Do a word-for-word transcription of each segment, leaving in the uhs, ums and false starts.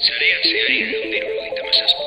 Sarean zehari ehun eta hirurogeita hamazazpi.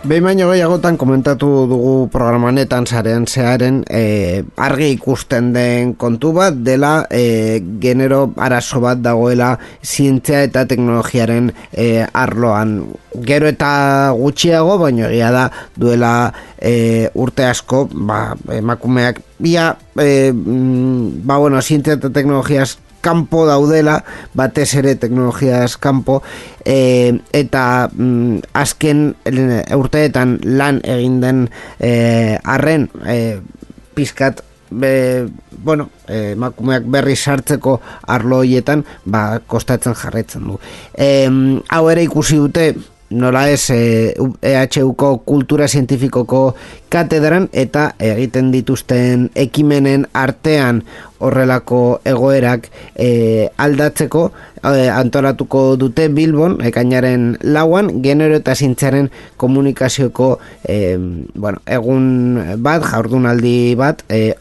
Behin baino gehiagotan komentatu dugu programanetan sarean zearen e, argi ikusten den kontu bat dela e, genero arazo bat dagoela zientzia eta teknologiaren e, arloan. Gero eta gutxiago, baino egia da duela e, urte asko, ba, emakumeak ia, e, ba bueno, zientzia eta teknologiaz kanpo daudela, batez ere teknologiaz kanpo, e, eta mm, azken urteetan lan egin den e, arren e, pizkat be, bueno, e, emakumeak berri sartzeko arlo horietan ba, kostatzen jarraitzen du. E, hau ere ikusi dute nola ez E H Uko kultura zientifikoko katedran eta egiten dituzten ekimenen artean horrelako egoerak e, aldatzeko e, antolatuko dute Bilbon ekainaren lauan genero eta zientziaren komunikazioko e, bueno, egun bat, jardunaldi bat e,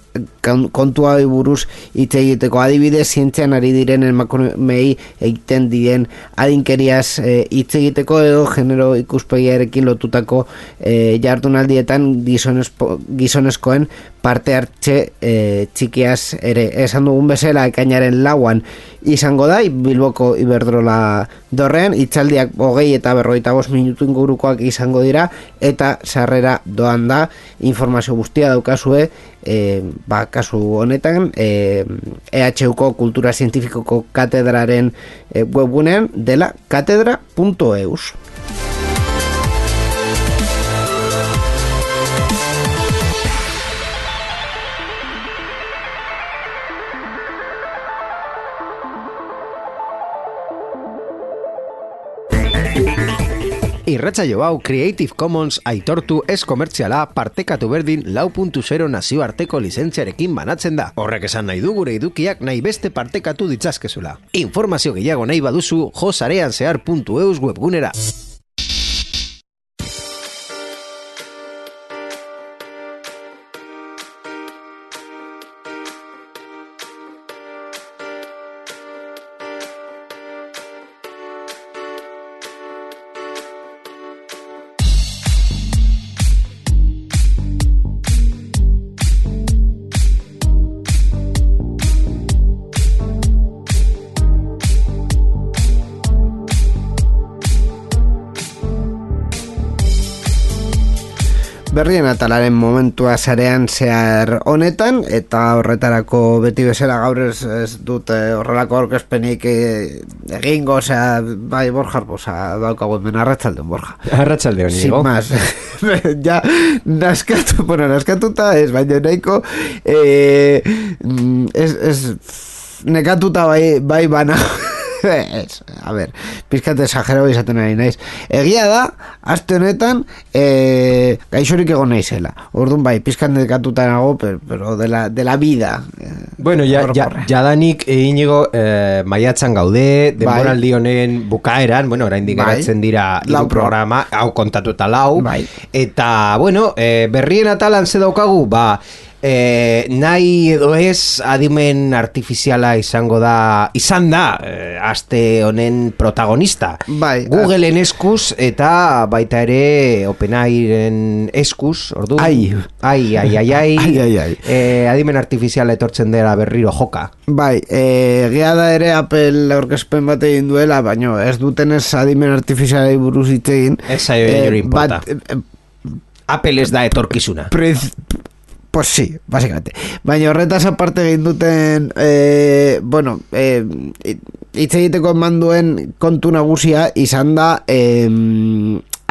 kontua buruz hitz egiteko, adibidez zientzian ari diren emakumei egiten diren adinkeriaz hitz egiteko edo genero ikuspegiarekin lotutako e, jardunaldietan gizonezko, gizonezkoen parte hartze e, txikiaz ere. Esan dugun bezala ekainaren lauan izango da Bilboko Iberdrola dorrean, hitzaldiak hogei eta berrogeita bost minutu ingurukoak izango dira eta sarrera doan da, informazio guztia daukazue e, ba, kasu honetan e, E H Uko kultura zientifikoko katedraren e, webgunean dela katedra punto eus. Irratsaio hau Creative Commons aitortu ez komertziala partekatu berdin lau puntu zero nazioarteko lizentziarekin banatzen da. Horrek esan nahi du gure edukiak nahi beste partekatu ditzazkezula. Informazio gehiago nahi baduzu jo sarean zehar puntu eus webgunera. Berrien atalaren momentua sarean zehar honetan, eta horretarako beti bezala gaur ez, ez dut horrelako aurkezpenik egingo, osea, bai Borja, osea, daukagu hemen arratsaldeon Borja. Arratsaldeon, sin más. Ja, naskatu, bueno, naskatuta ez, baina nahiko eh, ez, ez nekatuta bai, bai bana. Ez, a ber, pizkat exagerado izaten ari naiz. Egia da, aste honetan e, gaixorik egon naizela. Orduan bai, pizkat nekatuta nago, pero, pero de la, de la vida. Bueno, ja, ja, jadanik Inigo eh, maiatzan gaude, denboraldi honen bukaeran, bueno, oraindik geratzen dira hiru programa, hau kontatuta lau, bai. Eta, bueno, eh, berrien atalan ze daukagu, ba, Eh, nahi edo ez adimen artifiziala izango da izan da eh, aste honen protagonista bai, Googleen eskuz eta baita ere OpenAIren eskuz ordu ai ai ai ai ai, ai, ai, ai. Eh, adimen artifiziala etortzen dela berriro joka bai, eh, gea da ere Apple aurkezpen bat egin duela baino ez dutenez adimen artifizialai buruz hitz egin ez zaio eh, importa eh, Apple ez da etorkizuna prez, Pues sí, básicamente. Baina horretaz aparte egin duten eh, bueno, eh, hitz egiteko eman duen kontu nagusia izan da eh,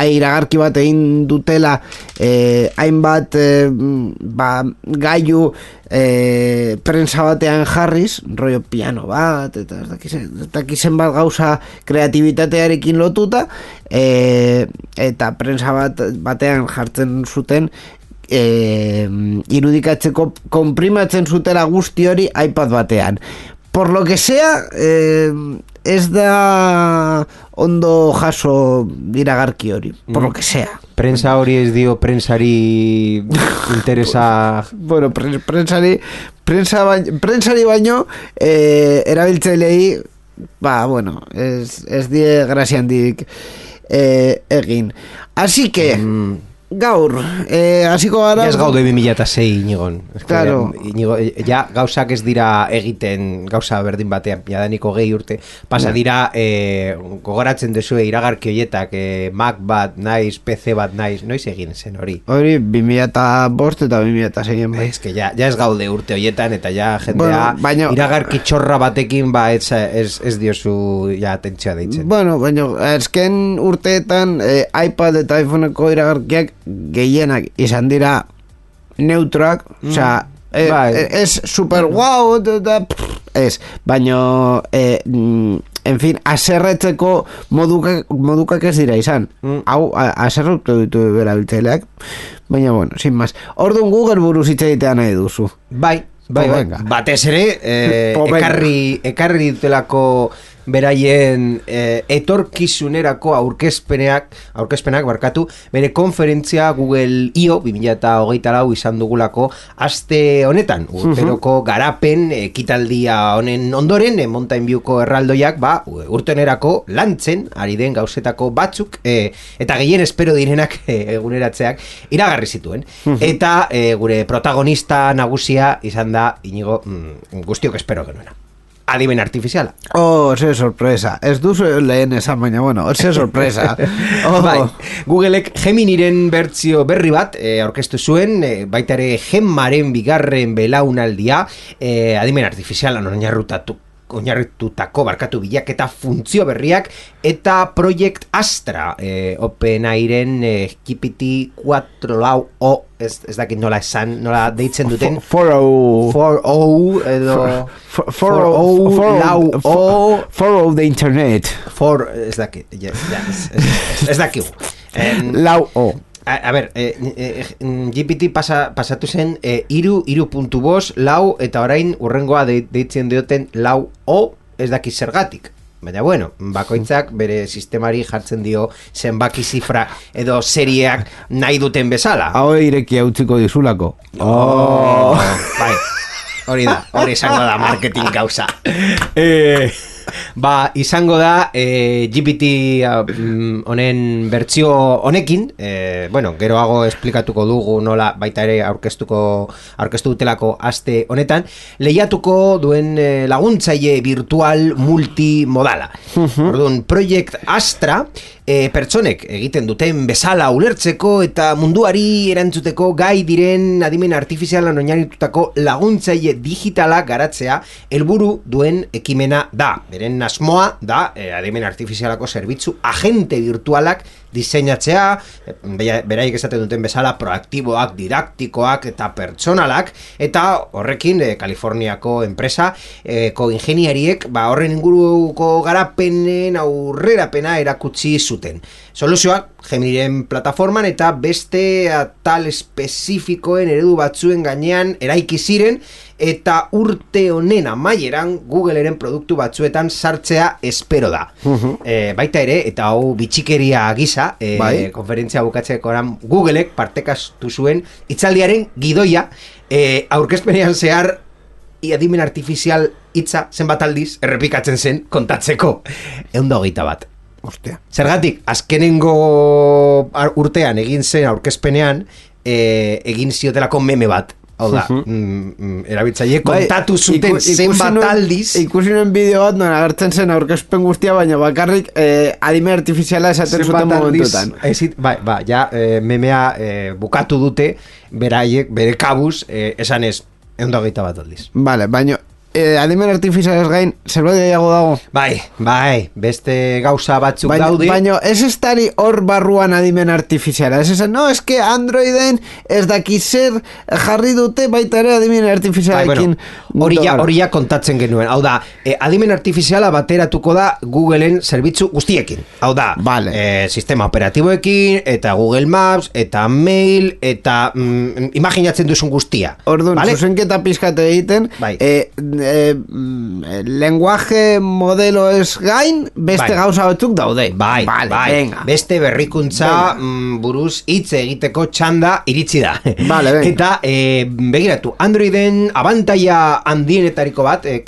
iragarki bat egin dutela eh, hainbat eh, ba, gailu eh, prensa batean jarriz, rollo piano bat, eta ez dakizen, ez dakizen bat gauza kreatibitatearekin lotuta, eh, eta prensa bat batean jartzen zuten eh, irudikatzeko konprimatzen zutela guzti hori iPad batean. Por lo que sea, eh, ez da ondo jaso iragarki hori, por mm. lo que sea. Prensa hori ez dio prensari interesa... bueno, pre prensari, prensa baino, prensari baino eh, erabiltzailei, ba, bueno, ez, ez die graziandik eh, egin. Así que... Mm. Gaur, eh, hasiko gara... Ja ez gaude bi mila eta sei, Inigon. Claro. Inigo, ja, gauzak ez dira egiten, gauza berdin batean, jadaniko gehi urte, pasa dira, eh, gogoratzen duzue iragarki horietak, eh, Mac bat naiz, P C bat naiz, noiz egin zen hori? Hori, bi mila eta bost eta bi mila eta sei. Ez que ja, ja ez gaude urte horietan, eta ja jendea bueno, baino, iragarki txorra batekin, ba, ez, ez, ez diozu ja atentzioa deitzen. Bueno, baina, ezken urteetan, eh, iPad eta iPhoneko iragarkiak gehienak izan dira neutroak, mm. osea, eh, bai. Ez super guau, ez, baina eh, en fin, aserretzeko modukak, modukak ez dira izan, mm. hau aserretu ditu berabiltzaileak, baina bueno, sin más. Orduan Google buruz hitz egitea nahi duzu. Bai, bai, bai. Batez ere, eh, ekarri, ekarri dutelako beraien eh, etorkizunerako aurkezpenak, aurkezpenak barkatu, bere konferentzia Google I O bi mila hogeita lau izan dugulako aste honetan, urteroko garapen ekitaldia honen ondoren, eh, Mountain Viewko erraldoiak, ba, urtenerako lantzen ari den gauzetako batzuk, eh, eta gehien espero direnak eh, eguneratzeak iragarri zituen. Eta eh, gure protagonista nagusia izan da, Inigo, mm, guztiok espero genuena. Adimen artifiziala. Oh, ze sorpresa. Ez duzu lehen esan, baina, bueno, ze sorpresa. Oh. Bai, Googleek Geminiren bertzio berri bat eh, aurkeztu zuen, eh, baita ere Gemmaren bigarren belaunaldia, eh, adimen artifizialan oinarrutatu oinarritutako barkatu bilaketa funtzio berriak eta Project Astra eh, OpenAIren eh, G P T cuatro lau o ez, ez dakit nola esan, nola deitzen duten cuatro o edo cuatro o lau o cuatro o de internet for ez dakit yes, yes, ez, ez dakit lau o A, a ber, eh, eh, G P T pasa, pasatu zen eh, iru, iru puntu bost, lau, eta orain urrengoa de, deitzen dioten lau o, ez daki zergatik. Baina bueno, bakoitzak bere sistemari jartzen dio zenbaki zifra edo serieak nahi duten bezala. Hau irekia utziko dizulako. Oh, bai, hori da, hori izango da marketing gauza. Eh... Ba, izango da eh, G P T honen uh, bertsio honekin eh, bueno, geroago esplikatuko dugu nola baita ere aurkeztuko aurkeztu dutelako aste honetan lehiatuko duen eh, laguntzaile virtual multimodala. Orduan, Project Astra eh, pertsonek egiten duten bezala ulertzeko eta munduari erantzuteko gai diren adimen artifizialan oinarritutako laguntzaile digitala garatzea helburu duen ekimena da. Beren asmoa da eh, adimen artifizialako zerbitzu agente virtualak diseinatzea, beraiek esaten duten bezala proaktiboak, didaktikoak eta pertsonalak, eta horrekin eh, Kaliforniako enpresa eh, ko ingeniariek ba, horren inguruko garapenen aurrerapena erakutsi zuten. Soluzioak Geminiren plataforman eta beste atal espezifikoen eredu batzuen gainean eraiki ziren eta urte honen amaieran Googleren produktu batzuetan sartzea espero da. Uh-huh. E, baita ere, eta hau bitxikeria gisa, e, bai? Konferentzia bukatzeko oran Googleek partekastu zuen itzaldiaren gidoia e, aurkezpenean zehar adimen artifizial hitza zenbat aldiz errepikatzen zen kontatzeko. Ehun eta hogeita bat. Ostia. Zergatik, azkenengo urtean egin zen aurkezpenean e, egin ziotelako meme bat. Hau da, uh-huh. mm, mm, erabiltzaile kontatu zuten zenbat aldiz. Ikusi nuen bideo bat, non agertzen zen aurkezpen guztia, baina bakarrik eh, adimen artifiziala esaten zuten momentutan. Ezit, bai, ba, ja, eh, memea eh, bukatu dute, beraiek, bere kabuz, eh, esan ez, ehun eta hogeita bat aldiz. Vale, baina eh, adimen artifizialez gain, zerbait gehiago dago? Bai, bai, beste gauza batzuk baina, daude. Baina ez estari hor barruan adimen artifiziala. Ez esan, no, eske Androiden ez daki zer jarri dute baita ere adimen artifizialekin. Bai, bueno, hori ja, hori ja kontatzen genuen. Hau da, eh, adimen artifiziala bateratuko da Googleen zerbitzu guztiekin. Hau da, vale. eh, sistema operatiboekin, eta Google Maps, eta mail, eta mm, imaginatzen duzun guztia. Orduan, vale? Zuzenketa pizkate egiten, bai. eh, eh, lenguaje modelo ez gain, beste bai. gauza batzuk daude. Bai, vale, bai. Venga. Beste berrikuntza mm, buruz hitz egiteko txanda iritsi da. Vale, venga. Eta, eh, begiratu, Androiden abantaia handienetariko bat, eh,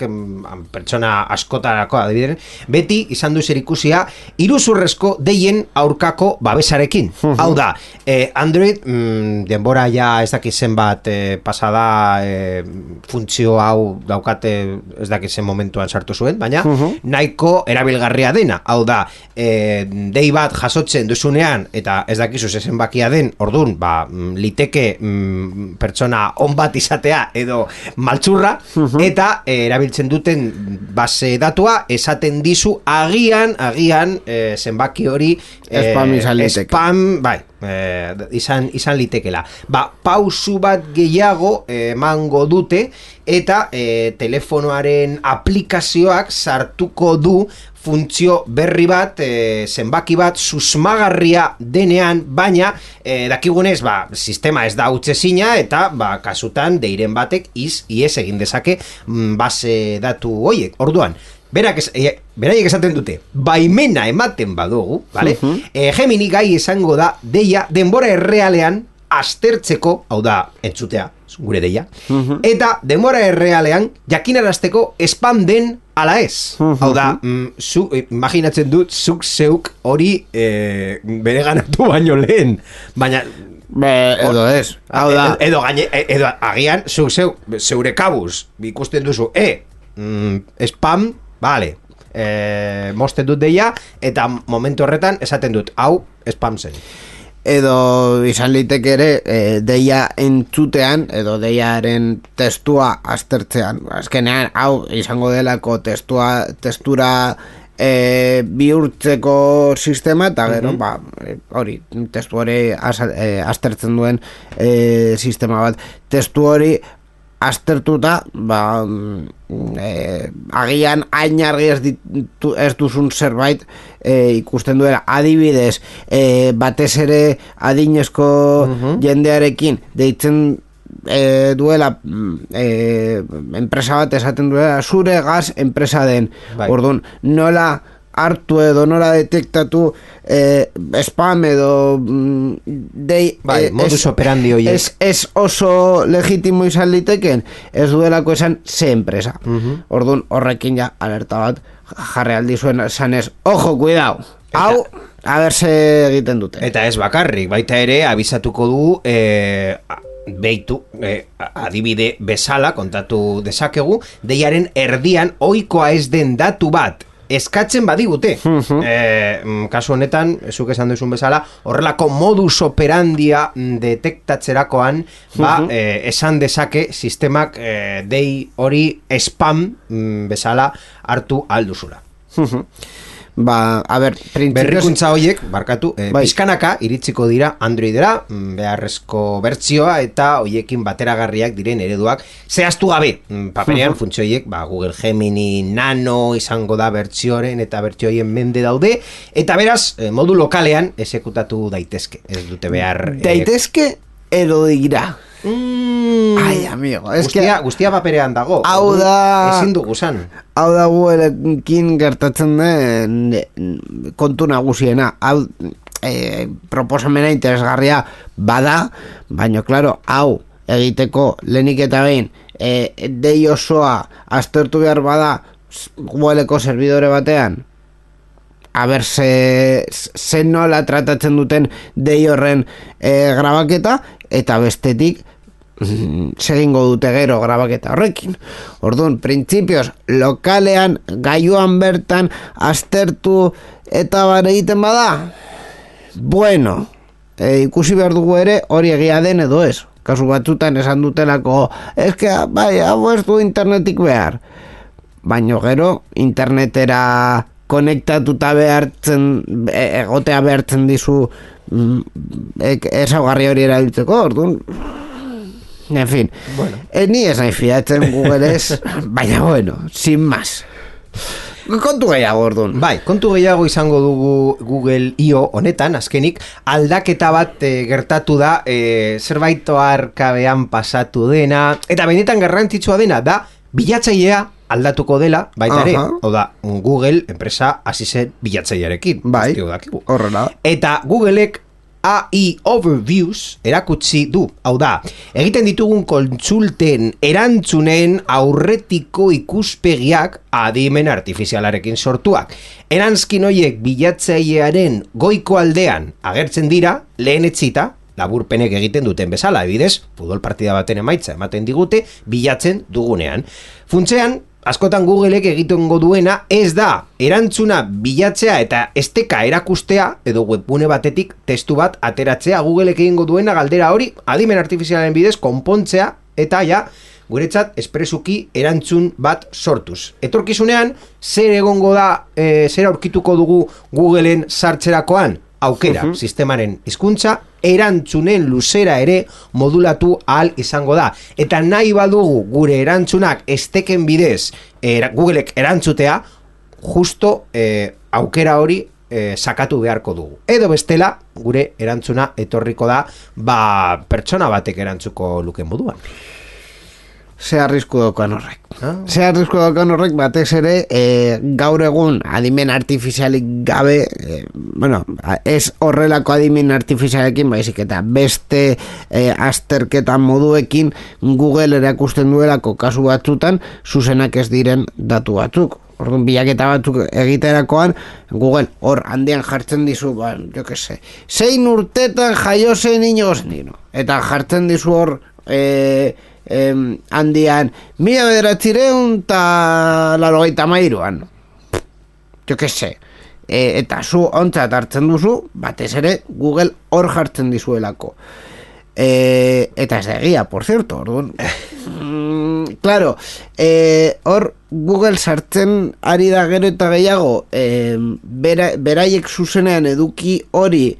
pertsona askotarako adibideren, beti izan du zer ikusia iruzurrezko deien aurkako babesarekin. Uh-huh. Hau da, eh, Android mm, denbora ja ez dakizen bat eh, pasada eh, funtzio hau daukate ez dakizen momentuan sartu zuen, baina uh-huh. nahiko erabilgarria dena. Hau da, eh, dei bat jasotzen duzunean eta ez dakizu zezen bakia den, ordun, ba, liteke mm, pertsona on bat izatea edo maltzurra, uh-huh. eta eh, erabiltzen duten base datua esaten dizu agian, agian eh, zenbaki hori eh, spam izan liteke. Spam, bai, eh, izan, izan litekela. Ba, pausu bat gehiago emango eh, dute eta eh, telefonoaren aplikazioak sartuko du funtzio berri bat, e, zenbaki bat susmagarria denean, baina e, dakigunez, ba, sistema ez da utzezina eta ba, kasutan deiren batek iz, ies egin dezake mm, base datu hoiek. Orduan, berak es, e, beraiek esaten dute, baimena ematen badugu, vale? Uh-huh. e, Gemini gai esango da deia denbora errealean aztertzeko, hau da, entzutea, gure deia, uh-huh. eta denbora errealean jakinarazteko spam den ala ez. Uh-huh. Hau da, mm, zu, imaginatzen dut, zuk zeuk hori e, bere ganatu baino lehen, baina Be, edo ez. Hau da, edo, gaine, edo agian zuk zeu, zeure kabuz ikusten duzu, e, mm, spam, vale, e, mosten dut deia, eta momentu horretan esaten dut, hau spam zen. Edo izan liteke ere e, deia entzutean edo deiaren testua aztertzean. Azkenean, hau izango delako testua, testura e, bihurtzeko sistema eta gero, uh-huh. ba, hori, testu hori az, e, aztertzen duen e, sistema bat. Testu hori aztertuta, ba, e, agian hain argi ez, ditu, ez duzun zerbait e, ikusten duela. Adibidez, e, batez ere adinezko uh-huh. jendearekin deitzen e, duela e, enpresa bat esaten duela zure gaz enpresa den. Bai. Orduan, nola hartu edo nola detektatu eh, spam edo mm, dei, bai, eh, modus operandi horiek. Ez, ez oso legitimo izan liteken, ez duelako esan ze enpresa. Uh-huh. Orduan horrekin ja alerta bat jarri aldi zuen esanez, ojo, cuidao, hau a ber ze egiten dute. Eta ez bakarrik, baita ere abisatuko du eh, beitu, eh, adibide bezala kontatu dezakegu, deiaren erdian ohikoa ez den datu bat eskatzen badigute. Uh-huh. eh, kasu honetan, zuk esan duzun bezala, horrelako modus operandia detektatzerakoan, ba, uh-huh. eh, esan dezake sistemak eh, dei hori spam mm, bezala hartu alduzula. Uh-huh. Ba, a ber, berrikuntza horiek, barkatu, eh, bai. Pizkanaka iritsiko dira Androidera, beharrezko bertsioa eta hoiekin bateragarriak diren ereduak zehaztu gabe. Paperean uh-huh. funtzio horiek, ba, Google Gemini Nano izango da bertsioren eta bertsioien mende daude, eta beraz, eh, modu lokalean esekutatu daitezke. Ez dute behar... Daitezke edo dira. Mm. Ai, amigo, es guztia, que guztia paperean dago. Hau da... Ezin dugu zan. Hau da guelekin gertatzen den kontu nagusiena. Hau e, proposamena interesgarria bada, baina, klaro, hau egiteko lehenik eta behin e, dei osoa aztertu behar bada gueleko servidore batean, a ber, ze, ze nola tratatzen duten dei horren e, grabaketa, eta bestetik segingo dute gero grabaketa horrekin. Orduan, printzipioz lokalean, gaiuan bertan aztertu eta bare egiten bada, bueno, e, ikusi behar dugu ere hori egia den edo ez. kasu batzutan esan dutelako, eske, bai, hau ez du internetik behar. Baina gero, internetera konektatuta behartzen, egotea behartzen dizu ezaugarri hori erabiltzeko, orduan, en fin, bueno. E, ni ez nahi fiatzen Google ez, baina bueno, sin más. Kontu gehiago, orduan. Bai, kontu gehiago izango dugu Google I O honetan, azkenik, aldaketa bat e, gertatu da, e, zerbait oarkabean pasatu dena, eta benetan garrantzitsua dena, da, bilatzailea aldatuko dela, baita ere, hau da, Google enpresa hasi zen bilatzailearekin. Bai, horrela. Eta Googleek A I Overviews erakutsi du, hau da, egiten ditugun kontsulten erantzunen aurretiko ikuspegiak adimen artifizialarekin sortuak. Erantzkin horiek bilatzailearen goiko aldean agertzen dira, lehen etzita, laburpenek egiten duten bezala, ebidez, futbol partida baten emaitza ematen digute, bilatzen dugunean. Funtzean, askotan Googleek egitengo duena ez da erantzuna bilatzea eta esteka erakustea edo webgune batetik testu bat ateratzea. Googleek egingo duena galdera hori adimen artifizialaren bidez konpontzea eta ja guretzat espresuki erantzun bat sortuz. Etorkizunean zer egongo da, e, zer aurkituko dugu Googleen sartzerakoan? Aukera, uh-huh. Sistemaren hizkuntza erantzunen luzera ere modulatu ahal izango da. Eta nahi badugu gure erantzunak esteken bidez er, Googleek erantzutea, justo eh, aukera hori eh, sakatu beharko dugu. Edo bestela, gure erantzuna etorriko da, ba, pertsona batek erantzuko luken moduan. Ze arrisku daukan horrek. Ah. Ze arrisku daukan horrek batez ere e, gaur egun adimen artifizialik gabe, e, bueno, ez horrelako adimen artifizialekin, baizik eta beste e, azterketan moduekin Google erakusten duelako kasu batzutan zuzenak ez diren datu batzuk. Orduan bilaketa batzuk egiterakoan Google hor handian jartzen dizu, ba, jo que se, zein urtetan jaio zen inoz nino. Eta jartzen dizu hor e, Eh, handian mila bederatzireun eta larogeita mairuan jo que se e, eta zu ontzat hartzen duzu batez ere Google hor jartzen dizuelako e, eta ez da egia, por cierto orduan mm, claro e, hor Google sartzen ari da gero eta gehiago e, bera, beraiek zuzenean eduki hori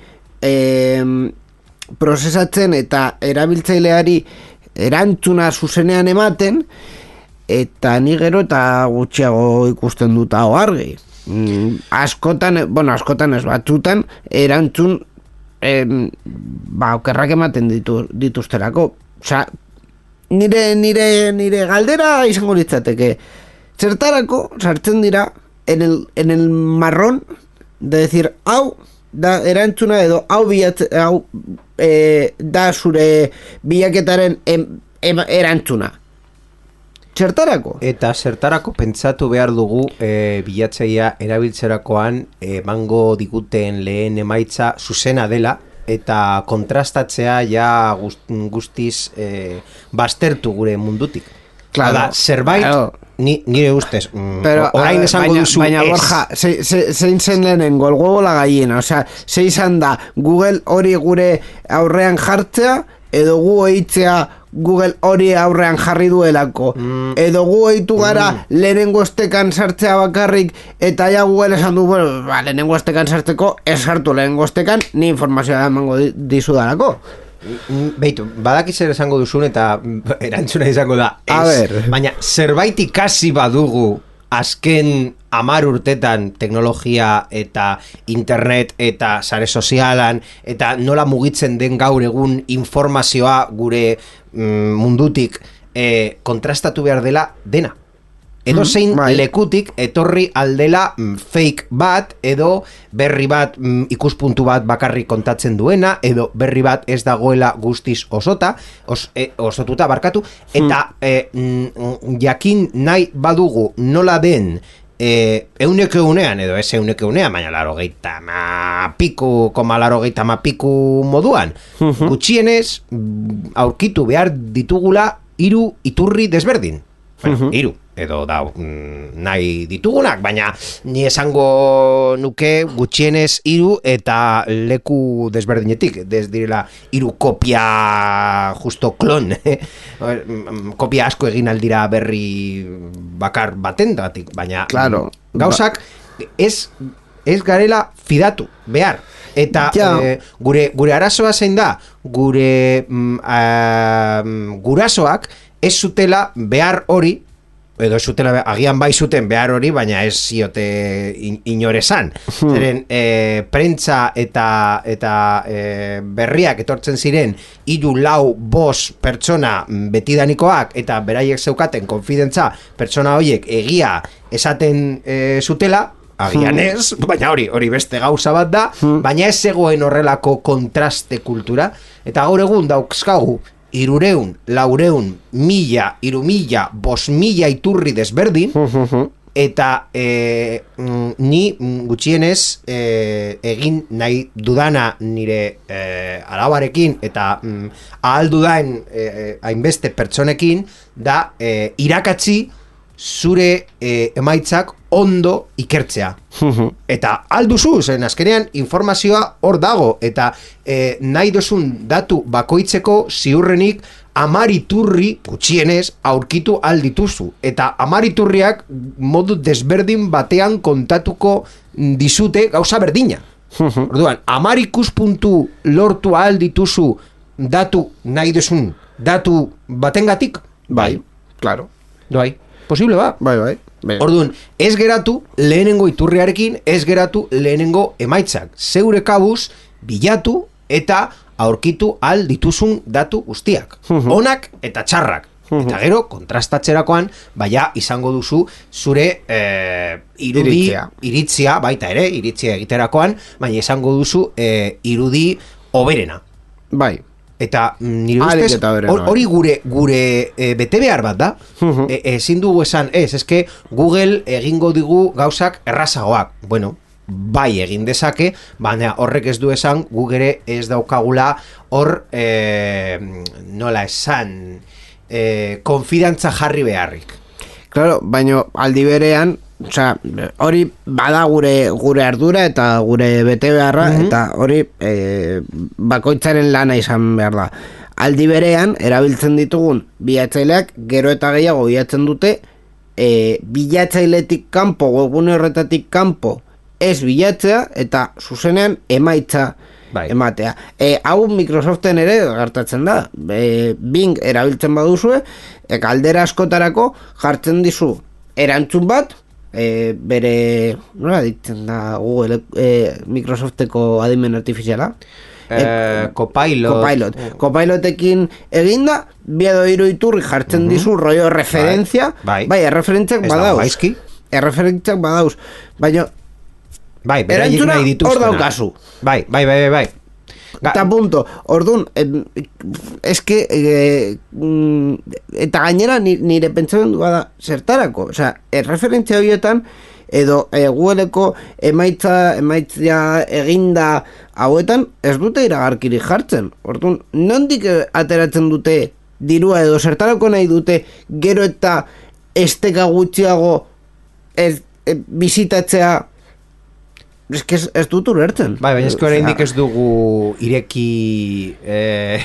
e, prozesatzen eta erabiltzaileari erantzuna zuzenean ematen eta ni gero eta gutxiago ikusten dut hau argi. Mm, askotan, bueno, askotan ez batzutan erantzun em, ba, okerrak ematen ditu, dituzterako. Osa, nire, nire, nire galdera izango litzateke. Zertarako sartzen dira en el, en el marrón de decir, hau da erantzuna edo hau bilatze, hau e, da zure bilaketaren em, em, erantzuna. Zertarako? Eta zertarako pentsatu behar dugu e, bilatzaia erabiltzerakoan emango diguten lehen emaitza zuzena dela eta kontrastatzea ja gust, guztiz e, baztertu gure mundutik. Claro, Hala, zerbait, claro. ni, nire ustez, pero, orain esango baina, duzu baina, ez. Borja, zein ze, ze zen lehenengo, el huevo la gallina, o sea, ze izan da, Google hori gure aurrean jartzea, edo gu eitzea Google hori aurrean jarri duelako, mm. edo gu eitu gara mm. lehenengo estekan sartzea bakarrik, eta ja Google esan du, bueno, ba, lehenengo estekan sartzeko, ez sartu lehenengo estekan, ni informazioa emango dizu darako. Beitu, badaki zer esango duzun eta erantzuna izango da ez, baina zerbait ikasi badugu azken hamar urtetan teknologia eta internet eta sare sozialan eta nola mugitzen den gaur egun informazioa gure mm, mundutik eh, kontrastatu behar dela dena. Edo zein mm, lekutik etorri aldela mm, fake bat, edo berri bat mm, ikuspuntu bat bakarrik kontatzen duena, edo berri bat ez dagoela guztiz osota, os, e, osotuta barkatu, eta mm. e, mm, jakin nahi badugu nola den e, euneko eunean, edo ez euneko eunean, baina laro geita ma piku, koma laro geita ma piku moduan, mm-hmm. gutxienez aurkitu behar ditugula hiru iturri desberdin. Bueno, uh-huh. Iru, edo da nahi ditugunak, baina ni esango nuke gutxienez hiru eta leku desberdinetik, ez direla hiru kopia justo klon, kopia asko egin aldira berri bakar batendatik, baina claro, gauzak ez, ez garela fidatu, behar. Eta eh, gure, gure arazoa zein da, gure mm, uh, gurasoak ez zutela behar hori, edo zutela, agian bai zuten behar hori, baina ez ziote in, inoresan. Hmm. Zeren, e, prentza eta, eta e, berriak etortzen ziren, hiru lau bos pertsona betidanikoak, eta beraiek zeukaten konfidentza pertsona horiek egia esaten e, zutela, agian ez, baina hori, hori beste gauza bat da, baina ez zegoen horrelako kontraste kultura, eta gaur egun dauzkagu, irureun, laureun, mila, iru mila, bos mila iturri desberdin, eta e, ni gutxienez e, egin nahi dudana nire e, alabarekin, eta mm, ahal dudain e, hainbeste pertsonekin, da e, irakatzi zure e, emaitzak ondo ikertzea. Eta alduzu, zen azkenean informazioa hor dago, eta e, nahi dozun datu bakoitzeko ziurrenik amariturri gutxienez aurkitu aldituzu. Eta amariturriak modu desberdin batean kontatuko dizute gauza berdina. Orduan, amarikus puntu lortu aldituzu datu nahi dozun datu batengatik? Bai, claro. Bai. Posible ba? Bai, bai. bai. Orduan, ez geratu lehenengo iturriarekin, ez geratu lehenengo emaitzak. Zeure kabuz, bilatu eta aurkitu al dituzun datu guztiak. Onak eta txarrak. Eta gero, kontrastatzerakoan, baina izango duzu zure eh, irudi, iritzia. iritzia, baita ere, iritzia egiterakoan, baina izango duzu eh, irudi oberena. Bai. Eta nire ustez hori gure gure e, bete behar bat da. e, ezin dugu esan ez, eske Google egingo digu gauzak errazagoak. Bueno, bai egin dezake, baina horrek ez du esan Google ez daukagula hor e, nola esan e, konfidantza jarri beharrik. Claro, baina aldi berean, osea, hori bada gure gure ardura eta gure bete beharra, mm-hmm. eta hori e, bakoitzaren lana izan behar da. Aldi berean, erabiltzen ditugun bilatzaileak gero eta gehiago bilatzen dute e, bilatzailetik kanpo, webgune horretatik kanpo ez bilatzea eta zuzenean emaitza bai. ematea. E, hau Microsoften ere gertatzen da. E, Bing erabiltzen baduzue, e, galdera askotarako jartzen dizu erantzun bat, e, bere, nola ditzen da Google, e, Microsofteko adimen artifiziala? Eh, Copilot. Copilot. Copilotekin eginda, biedo hiru iturri jartzen uh-huh. dizu rollo referentzia, bai, bai erreferentziak badauz. Erreferentziak badauz. Baina bai, erantzuna hor daukazu. Bai, bai, bai, bai. Eta punto, orduan, eh, eske, eh, eta gainera nire pentsatzen du bada zertarako. Osea, erreferentzia horietan, edo eh, Googleeko emaitza, emaitza eginda hauetan, ez dute iragarkiri jartzen. Orduan, nondik ateratzen dute dirua edo zertarako nahi dute gero eta esteka gutxiago ez, e, bizitatzea. Ez que ez, ez dut ulertzen. Bai, baina ez que oraindik ez dugu ireki eh,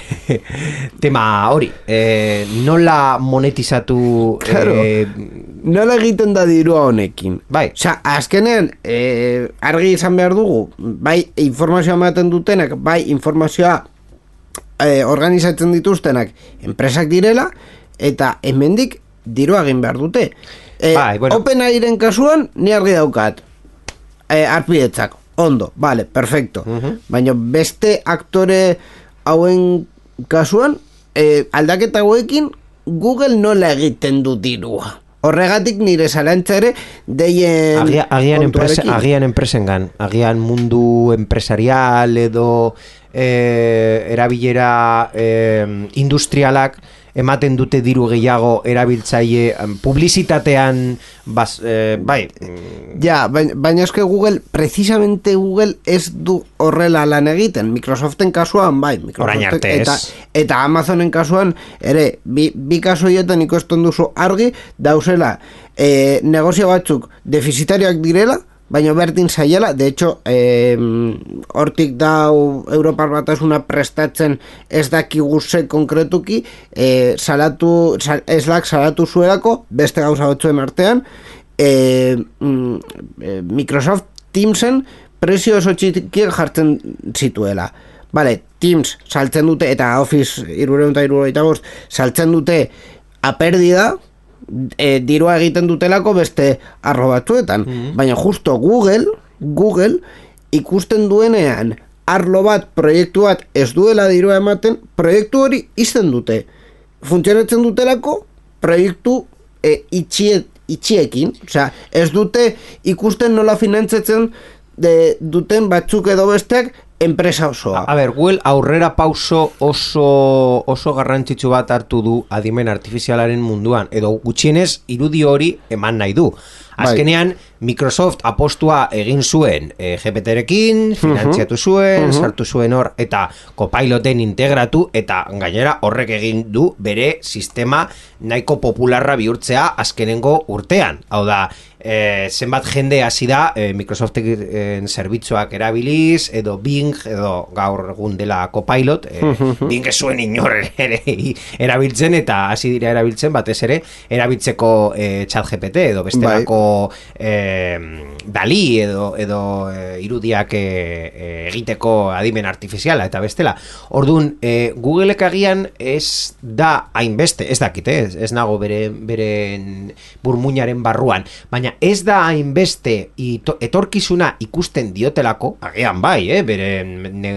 tema hori. Eh, nola monetizatu... Claro, eh, nola egiten da dirua honekin. Bai. Osa, azkenean, eh, argi izan behar dugu, bai informazioa ematen dutenak, bai informazioa eh, organizatzen dituztenak enpresak direla, eta hemendik dirua egin behar dute. Eh, bai, bueno. OpenAIren kasuan, ni argi daukat. Eh, arpidetzak, ondo, vale, perfecto. Uh-huh. Baina beste aktore hauen kasuan, eh, aldaketa hauekin Google nola egiten du dirua. Horregatik nire zalantza ere deien Agia, agian, enpresa, agian enpresengan, agian mundu empresarial edo e, erabilera e, industrialak ematen dute diru gehiago erabiltzaile publizitatean bas, eh, bai ja, baina, baina eske Google precisamente Google ez du horrela lan egiten. Microsoften kasuan bai, Microsoften, eta, eta Amazonen kasuan ere, bi, bi kasu hietan ikusten duzu argi dauzela eh, negozio batzuk defizitarioak direla, baina berdin zaiela, de hecho, eh, hortik dau Europar Batasuna prestatzen ez dakigu ze konkretuki, eh, salatu, sal, Slack salatu zuelako, beste gauza batzuen artean, eh, eh, Microsoft Teamsen prezio oso txikiek jartzen zituela. Vale, Teams saltzen dute, eta Office hirurehun eta hirurogeita bost saltzen dute a pérdida, E, dirua egiten dutelako beste arlo batzuetan, mm-hmm. baina justo Google Google ikusten duenean arlo bat, proiektu bat ez duela dirua ematen, proiektu hori izten dute, funtzionatzen dutelako proiektu e, itxie, itxiekin, osea, ez dute ikusten nola finantzatzen de, duten batzuk edo besteak enpresa osoa. A, a ber, Google aurrera pauso oso oso garrantzitsu bat hartu du adimen artifizialaren munduan, edo gutxienez irudi hori eman nahi du. Azkenean, Microsoft apostua egin zuen e, G P T-rekin, finantziatu zuen, uh-huh. sartu zuen hor, eta Copiloten integratu, eta gainera horrek egin du bere sistema nahiko popularra bihurtzea azkenengo urtean. Hau da, e, zenbat jende hasi da e, Microsoften zerbitzuak erabiliz, edo Bing, edo gaur egun dela Copilot, e, uh-huh. Bing ez zuen inor ere erabiltzen, eta hasi dira erabiltzen, batez ere, erabiltzeko e, ChatGPT, edo bestelako e, Dali edo, edo e, irudiak e, e, egiteko adimen artifiziala eta bestela. Orduan, e, Googleek agian ez da hainbeste, ez dakit, ez, ez nago bere, bere burmuinaren barruan, baina ez da hainbeste ito, etorkizuna ikusten diotelako, agian bai, eh, bere ne,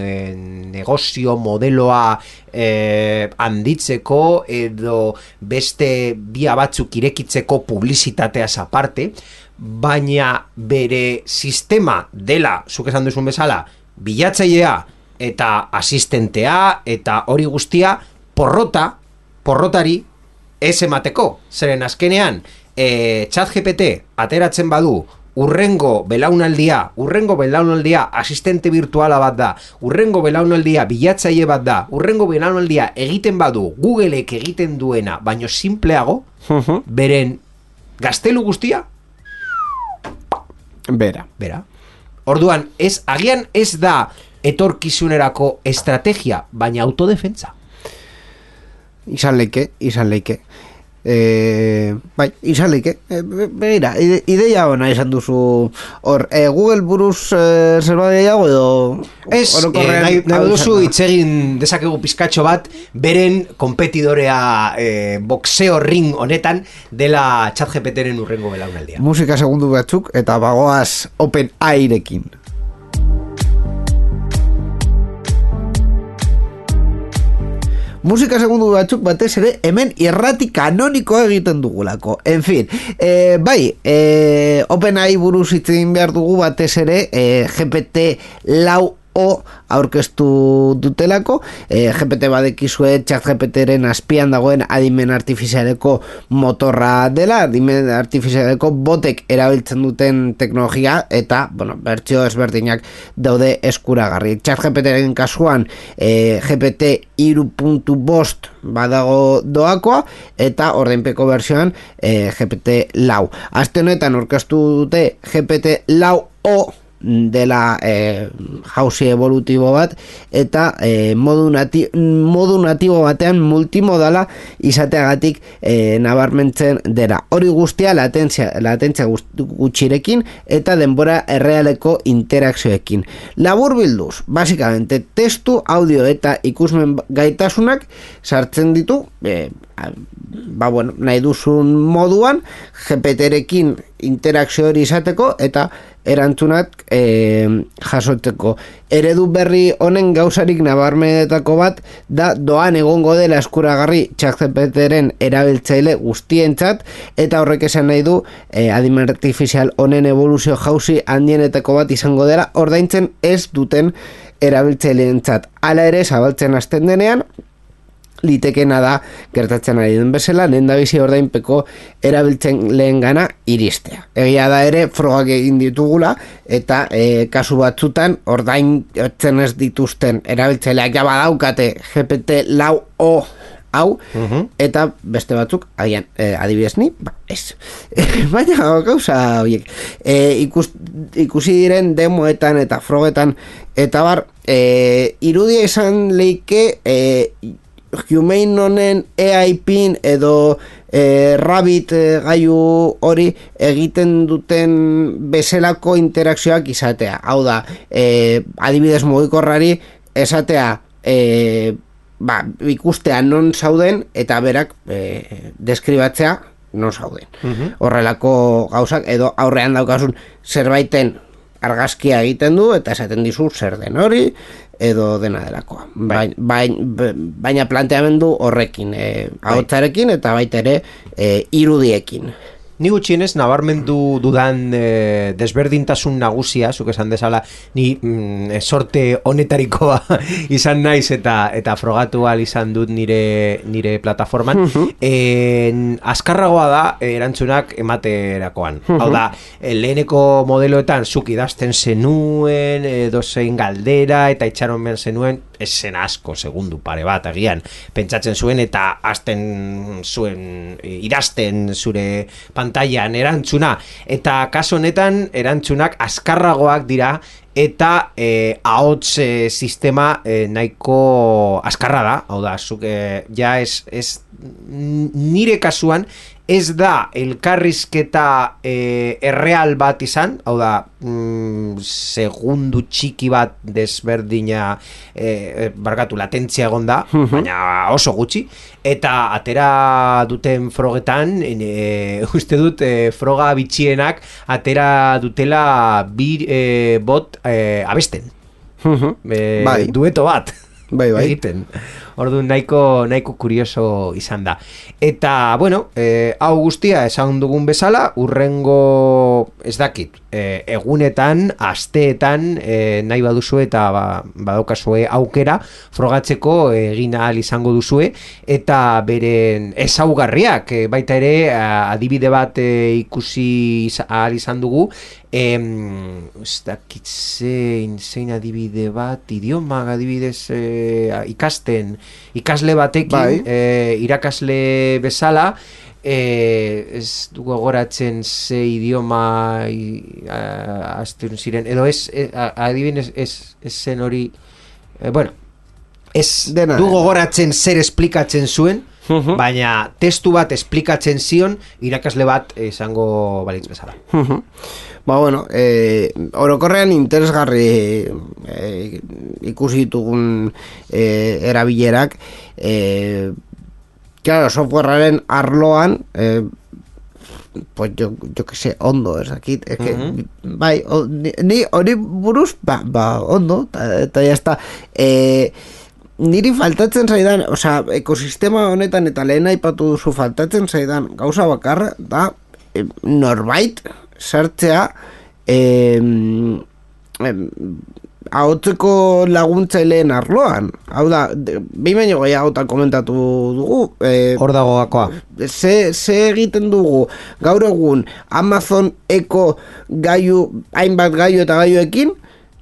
negozio modeloa eh, handitzeko edo beste bia batzuk irekitzeko publizitateaz aparte, baina bere sistema dela, zuk esan duzun bezala, bilatzailea eta asistentea eta hori guztia porrota, porrotari ez emateko. Zeren azkenean, e, ChatGPT ateratzen badu urrengo belaunaldia, urrengo belaunaldia asistente virtuala bat da, urrengo belaunaldia bilatzaile bat da, urrengo belaunaldia egiten badu Googleek egiten duena, baino simpleago, uh-huh. beren gaztelu guztia Bera. Bera. Orduan, ez, agian ez da etorkizunerako estrategia, baina autodefentza. Izan leike, izan leike. E, bai, izan leike. E, begira, ide, ideia hona izan duzu hor. E, Google buruz e, zerbait gehiago edo... Ez, e, nahi, nahi duzu itzegin dezakegu pizkatxo bat beren kompetidorea e, boxeo ring honetan dela ChatGPTren urrengo belaunaldia. Musika segundu batzuk eta bagoaz Open Airekin. Musika segundu batzuk batez ere hemen irrati kanonikoa egiten dugulako. En fin, eh, bai, eh, OpenAI buruz hitz egin behar dugu batez ere eh, G P T lau o aurkeztu dutelako. eh, G P T badekizue ChatGPTren azpian dagoen adimen artifizialeko motorra dela, adimen artifizialeko botek erabiltzen duten teknologia eta, bueno, bertsio ezberdinak daude eskuragarri. ChatGPTren kasuan eh, G P T hiru puntu bost badago doakoa eta ordainpeko bertsioan eh, G P T lau. Aste honetan aurkeztu dute G P T lau o dela eh, jauzi evolutibo bat eta eh, modu, nati modu natibo batean multimodala izateagatik eh, nabarmentzen dela. Hori guztia latentzia, latentzia gutxirekin eta denbora errealeko interakzioekin. Labur bilduz, basikamente testu, audio eta ikusmen gaitasunak sartzen ditu eh, ba, bueno, nahi duzun moduan G P T-rekin interakzio hori izateko eta erantzunak e, jasoteko. Eredu berri honen gauzarik nabarmenetako bat da doan egongo dela eskuragarri ChatGPTren erabiltzaile guztientzat eta horrek esan nahi du e, adimen artifizial honen evoluzio jauzi handienetako bat izango dela ordaintzen ez duten erabiltzaileentzat. Hala ere, zabaltzen hasten denean, litekena da, gertatzen ari den bezala, lehen da bizi ordainpeko erabiltzen lehen gana iristea. Egia da ere, frogak egin ditugula, eta e, kasu batzutan, ordaintzen ez dituzten erabiltzaileak ja badaukate G P T lau o hau, uh-huh. eta beste batzuk, agian, eh, adibidez ni, ba, ez. Baina, gauza, oiek, eh, ikus, ikusi diren demoetan eta frogetan, eta bar, eh, irudia izan leike, eh, Humane honen A I pin edo eh, Rabbit eh, gailu hori egiten duten bezalako interakzioak izatea. Hau da, eh, adibidez mugikorrari esatea eh, ba, ikustea non zauden eta berak eh, deskribatzea non zauden. Uh-huh. Horrelako gauzak edo aurrean daukasun zerbaiten argazkia egiten du eta esaten dizu zer den hori edo dena delakoa. Baina, baina, baina planteamendu horrekin, eh, ahotsarekin eta baita ere eh, irudiekin. Ni gutxienez, nabarmendu dudan e, desberdintasun nagusia, zuk esan dezala, ni mm, sorte honetarikoa izan naiz eta eta frogatu ahal izan dut nire nire plataforman. Uh-huh. E, azkarragoa da erantzunak ematerakoan. Uh-huh. Hau da, leheneko modeloetan zuk idazten zenuen, edo zein galdera, eta itxaron behar zenuen, ez zen asko, segundu pare bat, agian, pentsatzen zuen, eta hasten zuen, idazten zure pantailan erantzuna, eta kaso honetan erantzunak azkarragoak dira, eta eh, ahots eh, sistema eh, nahiko azkarra da, hau da, zuk, eh, ja ez, ez nire kasuan, ez da elkarrizketa e, erreal bat izan, hau da, mm, segundu txiki bat desberdina, e, barkatu, latentzia egon da, uh-huh. baina oso gutxi, eta atera duten frogetan, e, uste dut, e, froga bitxienak atera dutela bir e, bot e, abesten. Uh-huh. e, bai. Dueto bat. Bai, bai. Egiten. Orduan nahiko, nahiko kurioso izan da. Eta, bueno, e, hau guztia esan dugun bezala, urrengo ez dakit, e, egunetan, asteetan, e, nahi baduzue eta ba, badaukazue aukera, frogatzeko egin ahal izango duzue, eta beren ezaugarriak, e, baita ere, adibide bat e, ikusi ahal izan dugu, Em, ez dakit zein, zein adibide bat, idioma adibidez e, ikasten, ikasle batekin, bai. e, irakasle bezala, e, ez dugu gogoratzen ze idioma azten ziren, edo ez, e, adibidez ez, ez zen hori, e, bueno, ez Dena. dugu gogoratzen zer esplikatzen zuen, uh-huh. baina testu bat esplikatzen zion irakasle bat izango balitz bezala. Uh-huh. Ba, bueno, eh, orokorrean interesgarri eh, ikusi ditugun eh, erabilerak, eh, claro, softwarearen arloan, eh, pues yo, yo que sé, ondo, ez dakit, es que, uh-huh. bai, o, ni hori buruz, ba, ba, ondo, eta ya está, eh, niri faltatzen zaidan, osea, ekosistema honetan eta lehen aipatu duzu faltatzen zaidan gauza bakarra, da, eh, norbait, sartzea eh, eh, ahotzeko laguntzaileen arloan. Hau da, behin baino gehiagotan komentatu dugu. Eh, Hor dago gakoa. Ze, ze egiten dugu gaur egun Amazon Echo gaiu, hainbat gaiu eta gaiuekin,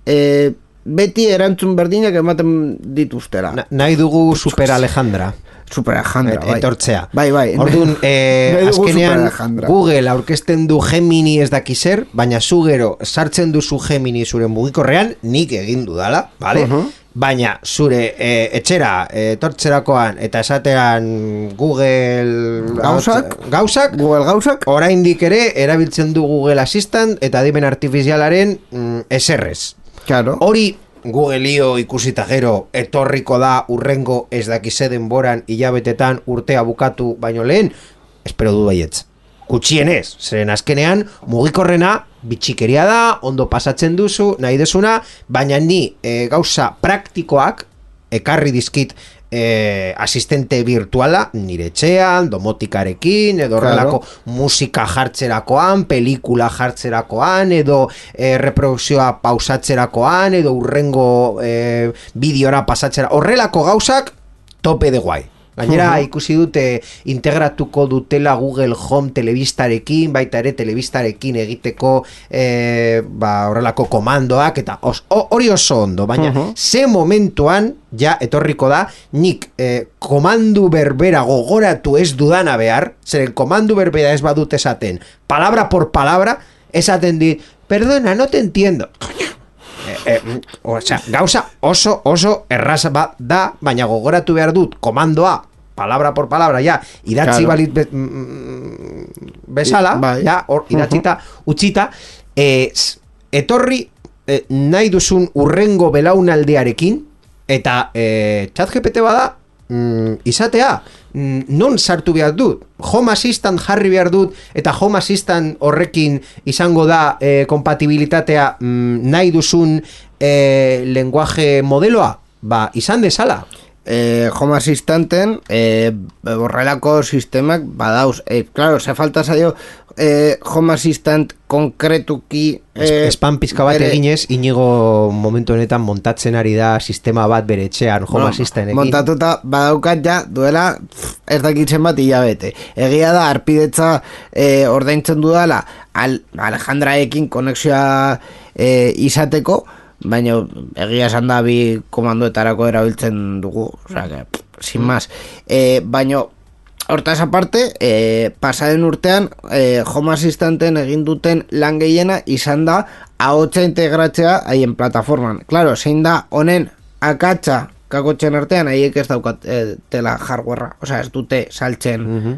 eh, beti erantzun berdinak ematen dituztera. Na, nahi dugu Super Alejandra. Super Alejandra, bai. Etortzea. Bai, bai. Orduan, eh, azkenean Google aurkezten du Gemini ez daki zer, baina zu gero sartzen duzu Gemini zure mugikorrean, nik egin dudala, vale? Uh-huh. Baina zure eh, etxera eh, etortzerakoan eta esatean Google gauzak, gauzak, Google gauzak, oraindik ere erabiltzen du Google Assistant eta adimen artifizialaren mm, eserrez. Claro. Hori Googleo ikusita gero etorriko da urrengo ez dakize denboran hilabetetan urtea bukatu baino lehen, espero du baietz. Gutxienez, zeren azkenean mugikorrena bitxikeria da, ondo pasatzen duzu, nahi desuna, baina ni e, gauza praktikoak ekarri dizkit eh, asistente virtuala nire etxean, domotikarekin, edo horrelako claro. musika jartzerakoan, pelikula jartzerakoan, edo eh, reprodukzioa pausatzerakoan, edo urrengo eh, bideora pasatzera, horrelako gauzak tope de guai. Gainera, uh-huh. ikusi dute integratuko dutela Google Home telebistarekin, baita ere telebistarekin egiteko e, ba, horrelako komandoak, eta os, hori oso ondo, baina uh-huh. ze momentuan ja etorriko da, nik e, komandu berbera gogoratu ez dudana behar, zeren komandu berbera ez badut esaten, palabra por palabra, esaten di, perdona, no te entiendo. Eh, eh, o sea, gauza oso oso erraza bat da, baina gogoratu behar dut komandoa, palabra por palabra, ja, idatzi claro. balit be, mm, bezala, I, ja, or, idatzita, uh-huh. utzita, eh, etorri eh, nahi duzun urrengo belaunaldearekin, eta eh, ChatGPT bada, mm, izatea, mm, non sartu behar dut, Home Assistant jarri behar dut, eta Home Assistant horrekin izango da eh, kompatibilitatea mm, nahi duzun eh, lenguaje modeloa, ba, izan dezala. Eh, Home Assistanten eh, horrelako sistemak badauz, eh, claro, se falta zaio eh, Home Assistant konkretuki eh, Espan pizka bat bere... eginez, Inigo momentu honetan montatzen ari da sistema bat bere etxean Home no, Assistantekin. Montatuta badaukat ja duela pff, ez dakitzen bat hilabete. Egia da arpidetza eh, ordaintzen dudala al, Alejandraekin konexioa eh, izateko, baina egia esan da bi komandoetarako erabiltzen dugu, osea que pff, sin más. Eh, baina hortaz aparte, eh, pasaren urtean eh, Home Assistanten egin duten lan gehiena izan da ahotsa integratzea haien plataforman. Claro, zein da honen akatsa kakotxen artean, haiek ez daukat eh, tela hardwarea, osea ez dute saltzen uh-huh.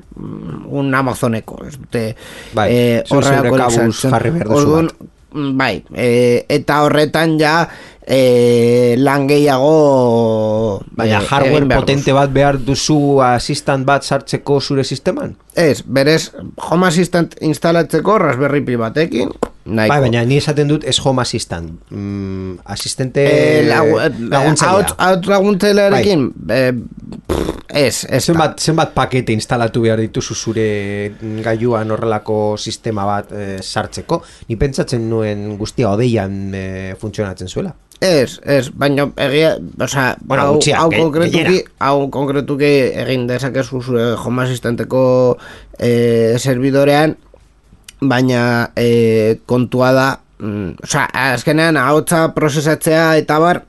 un Amazoneko, ez dute bai, eh, horreako saltzen. Orduan, bai, e, eta horretan ja e, lan gehiago baina e, hardware potente bat behar duzu Assistant bat sartzeko zure sisteman? Ez, berez Home Assistant instalatzeko Raspberry Pi batekin nahiko. Bai, baina ni esaten dut ez Home Assistant mm, asistente e, lagu, laguntzailea haut laguntzailearekin bai. e, ez, ez zenbat, zenbat pakete instalatu behar dituzu zure gailuan horrelako sistema bat e, sartzeko, ni pentsatzen nuen guztia odeian e, funtzionatzen zuela. Ez, ez, baina egia, osea, bueno, hau, gutxia, hau, ge, konkretuki, hau konkretuki egin dezakezu zure Home Assistanteko e, serbidorean, baina e, kontua da, mm, osea, azkenean ahotsa prozesatzea eta bar,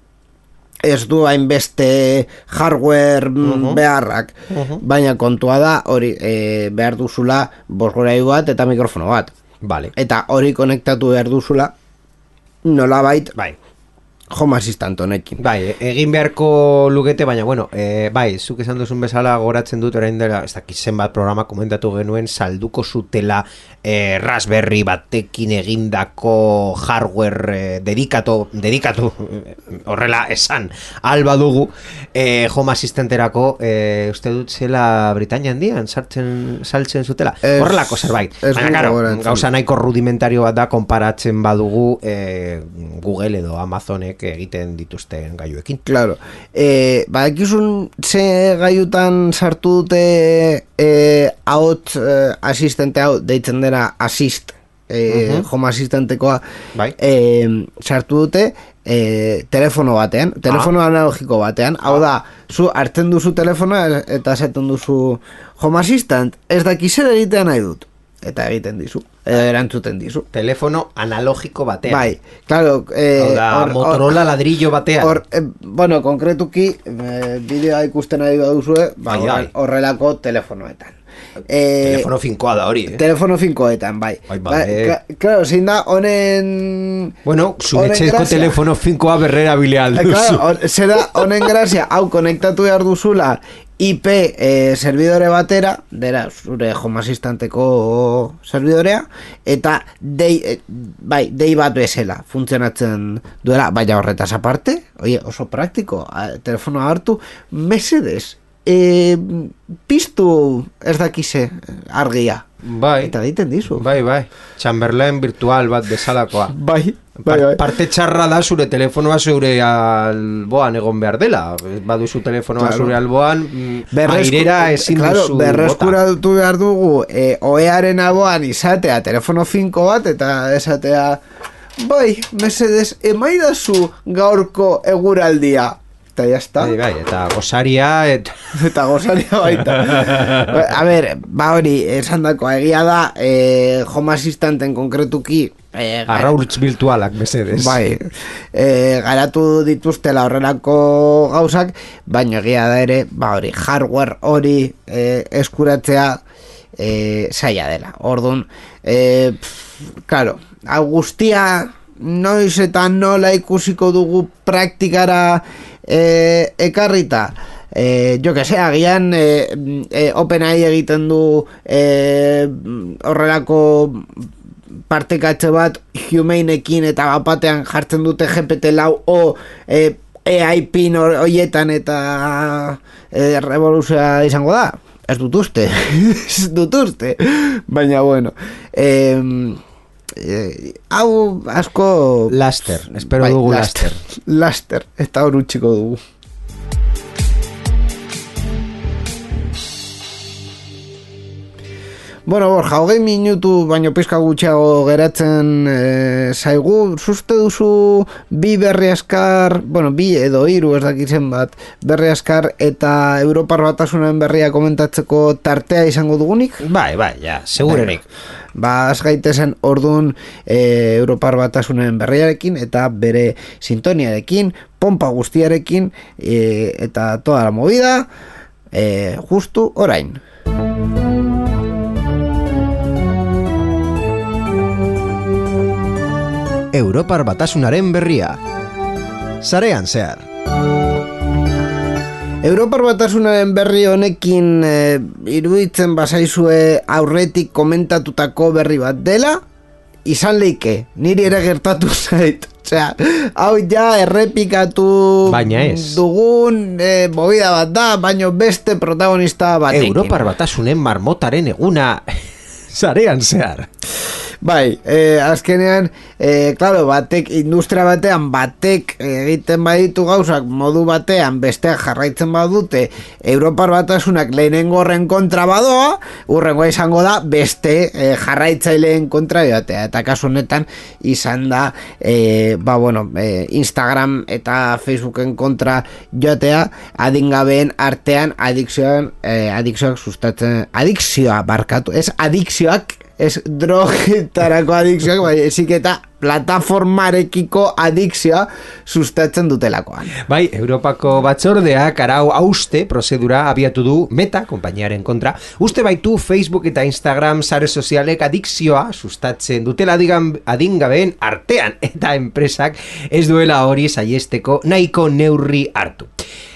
ez du hainbeste hardware uh-huh. beharrak, uh-huh. baina kontua da hori e, behar duzula bozgorailu bat eta mikrofono bat. Vale. Eta hori konektatu behar duzula nolabait bai. Home Assistant honekin. Bai, egin beharko lukete, baina bueno, e, bai, zuk esan duzun bezala goratzen dut orain dela, ez dakit zenbat programa komentatu genuen, salduko zutela e, Raspberry batekin egindako hardware e, dedikatu, dedikatu horrela esan, alba dugu e, Home Assistanterako e, uste dut zela Britania handian sartzen, saltzen zutela, es, horrelako zerbait. Baina, karo, gauza nahiko rudimentario bat da konparatzen badugu e, Google edo Amazonek egiten dituzten gaiuekin. Claro. Eh, badakizun ze gaiutan sartu dute eh, ahot eh, asistente hau deitzen dena Assist eh, uh-huh. Home Assistantekoa bai. eh, sartu dute eh, telefono batean, telefono ah. analogiko batean, hau da, zu hartzen duzu telefonoa eta esaten duzu Home Assistant, ez daki zer egitean nahi dut. Eta egiten dizu, edo erantzuten dizu. Telefono analogiko batean. Bai, claro. Eh, da, or, Motorola or, ladrillo batean. Or, eh, bueno, konkretuki, eh, bideoa ikusten ari baduzue, bai, bai. Horrelako telefonoetan. Eh, telefono finkoa da hori, eh? Telefono finkoetan, bai. Bai, bai. Ba, claro, zein da, honen... Bueno, zunetxezko telefono finkoa berrera bileal duzu. Claro, zera, honen grazia, hau konektatu behar duzula, I P eh, servidore batera, dera, zure Home Assistanteko servidorea, eta dei, eh, bai, dei bat bezala funtzionatzen duela, baina horretaz aparte, oie, oso praktiko, telefonoa hartu, mesedes, eh, piztu ez dakize argia. bai, eta egiten dizu. Bai, bai, Chamberlain virtual bat bezalakoa. Bai, bai, bai. Parte txarra da zure telefonoa zure alboan egon behar dela. Baduzu telefonoa claro. Zure alboan, Berresku, airera ezin claro, duzu berreskura dutu behar dugu, e, oearen alboan izatea telefono finko bat, eta esatea, bai, mesedes, emaidazu gaurko eguraldia. Eta jazta. Bai, bai, eta gozaria et... Eta gozaria baita. A ber, ba hori, esan dako, egia da, eh, Home Assistantenten konkretuki eh, arraurtz virtualak, mesedes. Bai, eh, garatu dituztela horrelako gauzak, baina egia da ere, ba hori, hardware hori eh, eskuratzea eh, zaila dela. Orduan, eh, pff, claro, hau guztia noiz eta nola ikusiko dugu praktikara eh, ekarrita. Eh, jo que sé, agian eh, eh, OpenAI egiten du eh, horrelako partekatxe bat Humaneekin eta bapatean jartzen dute G P T lau o eh, A I pin horietan eta eh, revoluzioa izango da. Ez dut uste. Ez dut uste. Baina bueno, eh, Eh, hau asko laster, espero bai, dugu laster laster, eta hor utxiko dugu. Bueno, Borja, hogei minutu baino pizka gutxiago geratzen e, zaigu, zuzte duzu bi berri askar, bueno, bi edo hiru ez dakitzen bat, berri askar eta Europar Batasunaren berria komentatzeko tartea izango dugunik? Bai, bai, ja, segurenik. Ba, az gaitezen orduan e, Europar Batasunaren berriarekin eta bere sintoniarekin, pompa guztiarekin e, eta toda la movida e, justu orain. Europar Batasunaren berria. Sarean zehar. Europar Batasunaren berri honekin e, iruditzen bazaizue aurretik komentatutako berri bat dela, izan leike, niri ere gertatu zait. Osea, hau ja errepikatu dugun e, movida bat da, baino beste protagonista batekin. Europar Batasunen marmotaren eguna sarean zehar. Bai, eh, azkenean, eh, claro, batek, industria batean, batek egiten baditu gauzak modu batean, besteak jarraitzen badute, Europar Batasunak lehenengo horren kontra badoa, urrengoa izango da, beste eh, jarraitzaileen kontra joatea. Eta kasu honetan, izan da, eh, ba, bueno, eh, Instagram eta Facebooken kontra joatea, adingabeen artean adikzioan, eh, adikzioak sustatzen, adikzioa barkatu, ez adikzioak, ez drogetarako adikzioak, bai, ezik eta plataformarekiko adikzioa sustatzen dutelakoan. Bai, Europako batzordeak arau hauste prozedura abiatu du Meta, konpainiaren kontra, uste baitu Facebook eta Instagram sare sozialek adikzioa sustatzen dutela adingabeen artean, eta enpresak ez duela hori saiesteko nahiko neurri hartu.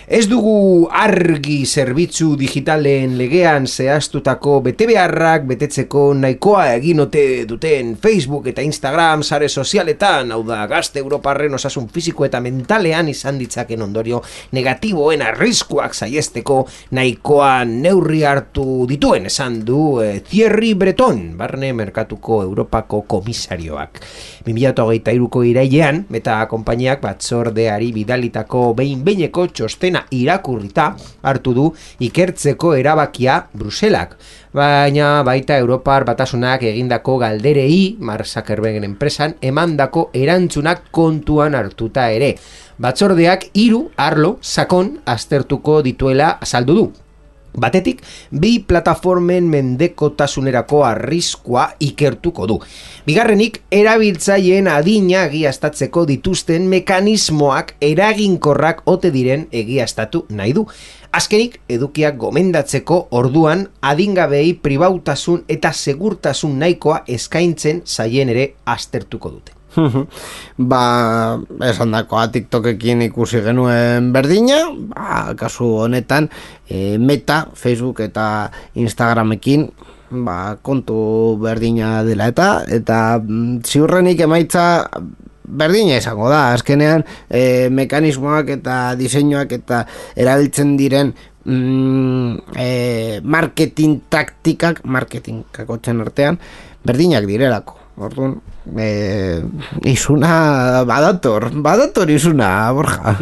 Ez dugu argi zerbitzu digitalen legean zehaztutako betebeharrak betetzeko nahikoa egin ote duten Facebook eta Instagram sare sozialetan, hau da gazte Europarren osasun fisiko eta mentalean izan ditzaken ondorio negatiboen arriskuak saiesteko nahikoa neurri hartu dituen, esan du eh, Thierry Breton, barne merkatuko Europako komisarioak. bi mila hogeita hiruko irailean, Meta konpainiak batzordeari bidalitako behin-behineko txostena irakurrita hartu du ikertzeko erabakia Bruselak. Baina baita Europar Batasunak egindako galderei Mark Zuckerbergen enpresan emandako erantzunak kontuan hartuta ere. Batzordeak hiru arlo sakon aztertuko dituela azaldu du. Batetik, bi plataformen mendekotasunerako arriskua ikertuko du. Bigarrenik, erabiltzaileen adina egiaztatzeko dituzten mekanismoak eraginkorrak ote diren egiaztatu nahi du. Azkenik, edukiak gomendatzeko orduan adingabei pribautasun eta segurtasun nahikoa eskaintzen zaien ere aztertuko dute. Ba, esan dakoa TikTokekin ikusi genuen berdina, ba, kasu honetan e, Meta, Facebook eta Instagramekin ba, kontu berdina dela eta eta ziurrenik emaitza berdina izango da, azkenean e, mekanismoak eta diseinuak eta erabiltzen diren mm, e, e, marketing taktikak, marketing kakotzen artean, berdinak direlako. Orduan, e, izuna badator, badator izuna, Borja.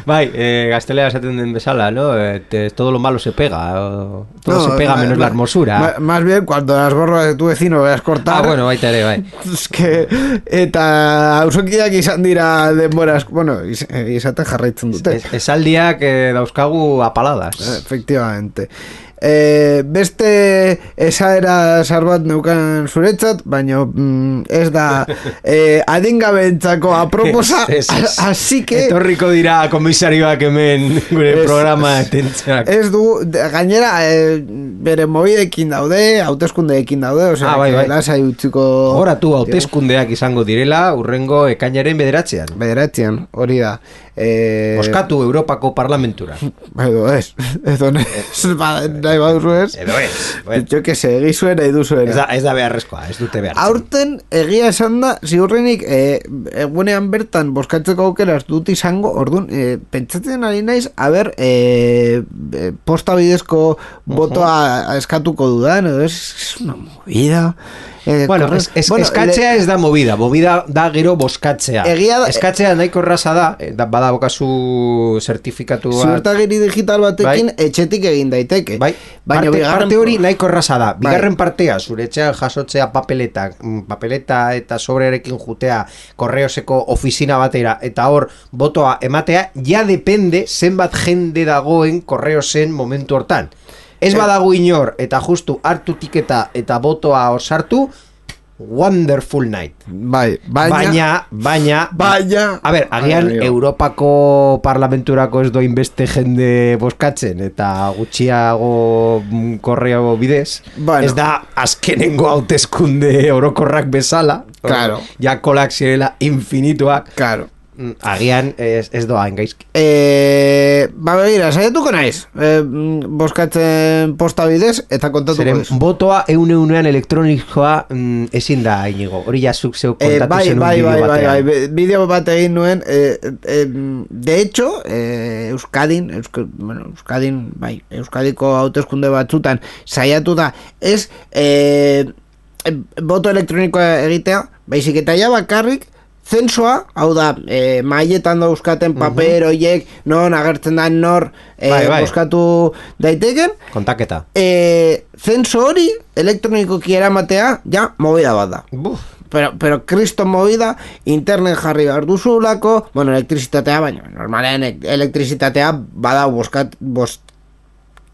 Bai, eh, gaztelea esaten den bezala, ¿no? Eh, todo lo malo se pega, o, todo no, se pega ma, menos ma, la hermosura. Ma, más bien, cuando las borras de tu vecino veas cortar... Ah, bueno, baita ere, bai. Es que, eta ausokiak izan dira denboraz, bueno, iz, izaten jarraitzen dute. Es, esaldiak eh, dauzkagu apaladas. Efectivamente. E, beste esaera sarbat neukan zuretzat, baina mm, ez da e, adingabentzako aproposa, así que etorriko dira komisarioak hemen gure es, programa etentzak. Ez du, gainera e, bere mobidekin daude, hauteskundeekin daude, osea, ah, bai, bai. lasai utziko horatu hauteskundeak izango direla urrengo ekainaren bederatzean. Bederatzean, hori da. Eh, Boskatu Europako Parlamentura. Edo ez, edo ez, nahi baduzu ez. Edo ez. Jo que se, egizuen nahi duzuena. Ez da, ez da beharrezkoa, ez dute behartzen. Aurten egia esan da, ziurrenik e, egunean bertan boskatzeko aukera ez dut izango, orduan, e, pentsatzen ari naiz, a ber, e, posta bidezko botoa uh-huh. eskatuko dudan, edo ez, es una movida. Eh, bueno, es, es, bueno, eskatzea le... ez da movida, movida da gero boskatzea. Egia da, eskatzea nahiko erraza da, da badabokazu zertifikatu bat. Ziurtagiri digital batekin bai. Etxetik egin daiteke. Bai, baina parte, bigarren... parte hori nahiko erraza da. Bigarren bai. Partea, zure etxean jasotzea papeleta, papeleta eta sobrearekin jutea korreoseko ofizina batera, eta hor botoa ematea, ja depende zenbat jende dagoen korreosen momentu hortan. Ez badago inor, eta justu hartu tiketa eta botoa osartu, wonderful night. Bai, baina... Baina, baina... Baina... A ber, agian baina, Europako Parlamenturako ez doin beste jende boskatzen, eta gutxiago korreo bidez. Bueno. Ez da azkenengo hauteskunde orokorrak bezala. Claro. Ja kolak zirela infinituak. Claro. Agian ez, ez doa engaizki. E, ba begira, saiatuko naiz e, boskatzen posta bidez eta kontatuko zeren ez. Botoa eun eunean elektronikoa mm, ezin da inigo. Hori jasuk zeu kontatu e, bai, zen bai, un bai, bideo batean. Bai, bai, bideo bat egin nuen e, e, de hecho e, Euskadin Eusk, bueno, Euskadin, bai, Euskadiko hauteskunde batzutan saiatu da ez e, e, boto elektronikoa egitea, baizik eta ja bakarrik zensoa, hau da, e, maietan dauzkaten paper horiek, uh-huh. non agertzen da nor e, bai, bai. Boskatu daiteken. Kontaketa. E, zenso hori, elektronikoki eramatea, ja, movida bat da. Buf. Pero, pero kriston movida, internet jarri behar duzulako, bueno, elektrizitatea, baina, normalean elektrizitatea bada boskat, bost,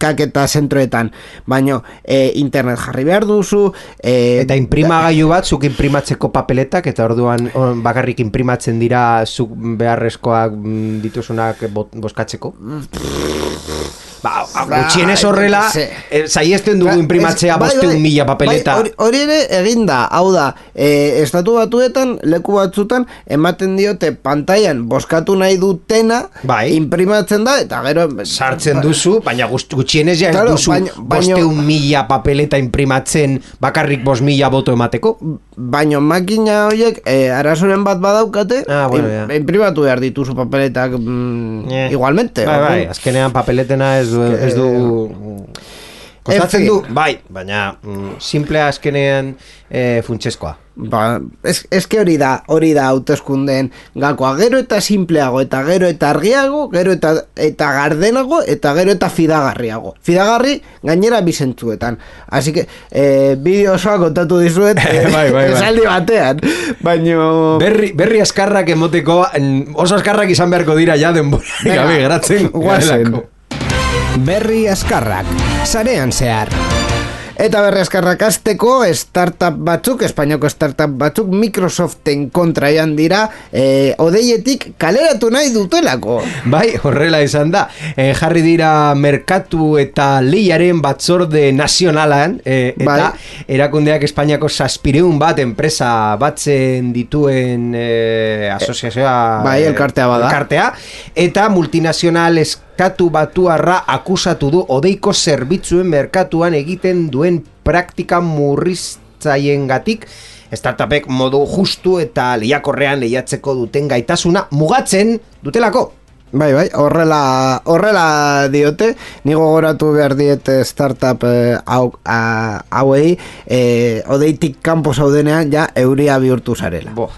kaketa zentroetan, baina e, internet jarri behar duzu e, eta imprimagailu bat zuk imprimatzeko papeletak eta orduan on, bakarrik imprimatzen dira zuk beharrezkoak dituzunak boskatzeko ba, gutxienez horrela saiesten dugu imprimatzea bosteun mila papeleta bai, hori ere eginda, hau da e, estatu batuetan, leku batzutan ematen diote pantailan boskatu nahi dutena bai. Imprimatzen da eta gero sartzen duzu, baina gutxienez ja claro, ez duzu bosteun mila papeleta imprimatzen bakarrik bost mila boto emateko baina makina horiek e, arazoren bat badaukate ah, bueno, ja. Imprimatu behar dituzu papeletak mm, yeah. Igualmente bai, bai, azkenean papeletena ez du, ez du kostatzen du, bai, baina mm, simplea azkenean e, funtseskoa ba, ez, ez que hori da hori da hauteskundeen gakoa gero eta simpleago eta gero eta argiago gero eta, eta gardenago eta gero eta fidagarriago fidagarri gainera bizentzuetan así que e, bideo osoa kontatu dizuet e, bai, bai, bai. Esaldi batean baino berri, berri askarrak emoteko oso askarrak izan beharko dira ja denbora gabe geratzen guazen Berri askarrak, sarean zehar. Eta berri askarrak azteko startup batzuk, Espainiako startup batzuk Microsoften kontraian dira e, odeietik kaleratu nahi dutelako. Bai, horrela izan da. E, jarri dira merkatu eta lehiaren batzorde nazionalan e, eta bai. Erakundeak Espainiako zazpireun bat enpresa batzen dituen e, asoziazioa bai, elkartea bada. Elkartea, eta multinazional Merkatu batuarra akusatu du odeiko zerbitzuen merkatuan egiten duen praktika murriztzaiengatik startupek modu justu eta lehiakorrean lehiatzeko duten gaitasuna mugatzen dutelako. Bai, bai, horrela, horrela diote, nigo goratu behar diete startup eh, hau, hauei, eh, odeitik kanpo zaudenean, ja, euria bihurtu zarela. Bo.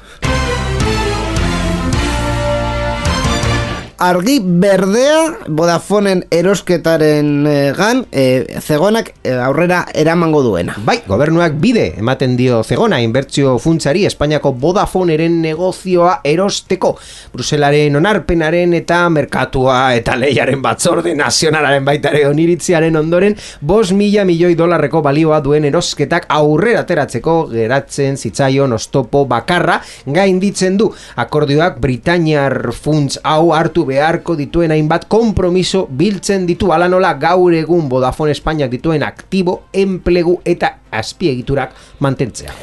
Argi berdea Vodafoneen erosketaren e, gan e, Zegonak e, aurrera eramango duena. Bai, gobernuak bide ematen dio Zegona inbertsio funtsari Espainiako Vodafoneren negozioa erosteko. Bruselaren onarpenaren eta merkatua eta lehiaren batzorde nazionalaren baitare oniritziaren ondoren bost mila milioi dolarreko balioa duen erosketak aurrera ateratzeko geratzen zitzaion oztopo bakarra gainditzen du. Akordioak Britainiar funts hau hartu beharko dituen hainbat konpromiso biltzen ditu, ala nola gaur egun Vodafone Espainiak dituen aktibo, enplegu eta azpiegiturak mantentzea.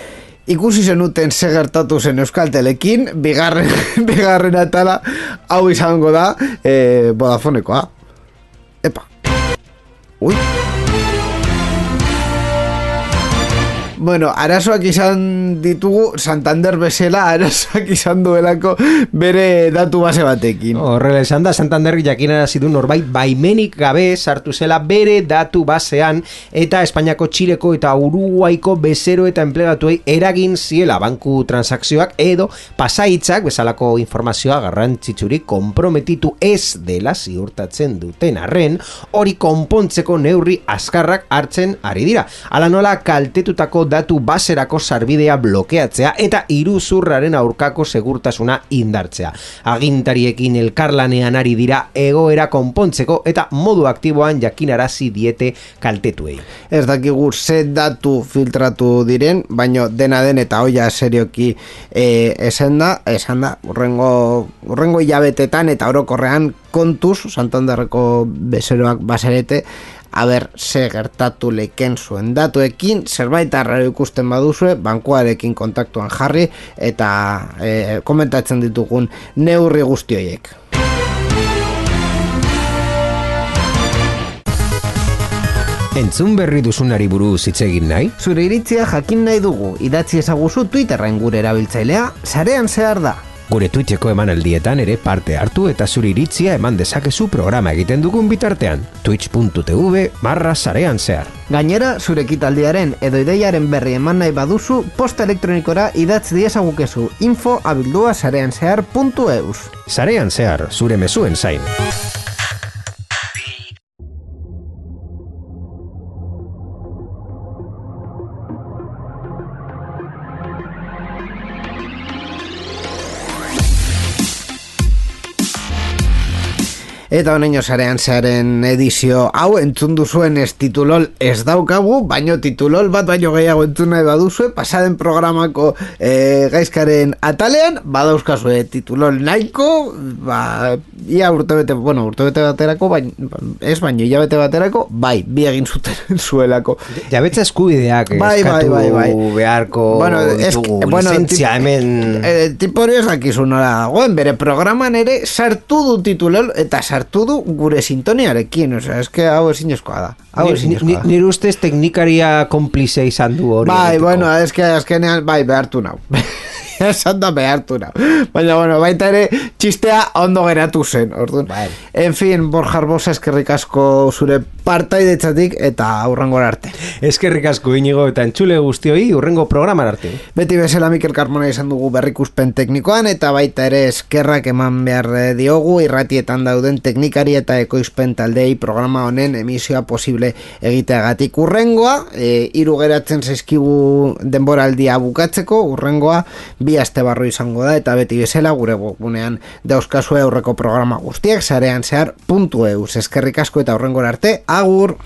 Ikusi zenuten ze gertatu zen Euskaltelekin, bigarren, bigarren atala hau izango da eh, Vodafonekoa. Epa. Ui. Bueno, arazoak izan ditugu Santander bezala, arazoak izan duelako bere datu base batekin. Horrela esan da, Santander jakinarazi du norbait baimenik gabe sartu zela bere datu basean eta Espainiako, Txileko eta Uruguaiko bezero eta enplegatuei eragin ziela banku transakzioak edo pasaitzak bezalako informazioa garrantzitsurik konprometitu ez dela ziurtatzen duten arren, hori konpontzeko neurri azkarrak hartzen ari dira. Hala nola kaltetutako datu baserako sarbidea blokeatzea eta iruzurraren aurkako segurtasuna indartzea. Agintariekin elkarlanean ari dira egoera konpontzeko eta modu aktiboan jakinarazi diete kaltetuei. Ez dakigu ze datu filtratu diren, baino dena den eta hoia serioki e, esan da, esan da, urrengo, urrengo hilabetetan eta orokorrean kontuz, Santanderreko bezeroak baserete, aber ze gertatu leken zuen datuekin, zerbait arraro ikusten baduzue, bankuarekin kontaktuan jarri eta e, komentatzen ditugun neurri guzti horiek. Entzun berri duzunari buruz hitz egin nahi? Zure iritzia jakin nahi dugu, idatzi ezaguzu Twitterren gure erabiltzailea, sarean zehar da. Gure Twitcheko emanaldietan ere parte hartu eta zure iritzia eman dezakezu programa egiten dugun bitartean. twitch.tv barra sarean zehar. Gainera, zure ekitaldiaren edo ideiaren berri eman nahi baduzu, posta elektronikora idatz diezagukezu info abildua sarean zehar puntu eus. Sarean zehar, zure mezuen zain. Eta honeño sarean zearen edizio hau entzun duzuen ez titulol ez daukagu, baino titulol bat baino gehiago entzun nahi baduzue, pasaden programako e, gaizkaren atalean, badauzkazue titulol nahiko, ba, ia urtebete, bueno, urtebete baterako, bain, ez baino, ia bete baterako, bai, bi egin zuten zuelako. Jabetza eskubideak bai, eskatu bai, bai, bai. beharko bueno, ditugu, bueno, lizentzia hemen... E, tipo hori ez dakizu nola dagoen, bere programan ere sartu du titulol, eta sartu hartu du gure sintoniarekin, osea, eske hau ezinezkoa da. Hau ezinezkoa da. Nire ustez teknikaria konplize izan du hori. Bai, bueno, eske azkenean bai behartu nau. Esan da behartu nau. Baina, bueno, baita ere txistea ondo geratu zen, orduan. Bai. En fin, Borja Arbosa, eskerrik asko zure partaidetzatik eta hurrengora arte. Eskerrik asko Inigo eta entzule guztioi hurrengo programan arte. Beti bezala Mikel Carmona izan dugu berrikuspen teknikoan eta baita ere eskerrak eman behar diogu irratietan dauden teknikari eta ekoizpen taldei programa honen emisioa posible egiteagatik. Urrengoa, e, hiru geratzen zaizkigu denboraldia bukatzeko, urrengoa bi aste barru izango da eta beti bezala gure webgunean dauzkazue aurreko programa guztiak sarean zehar puntu eus. Eskerrik asko eta hurrengora arte, agur!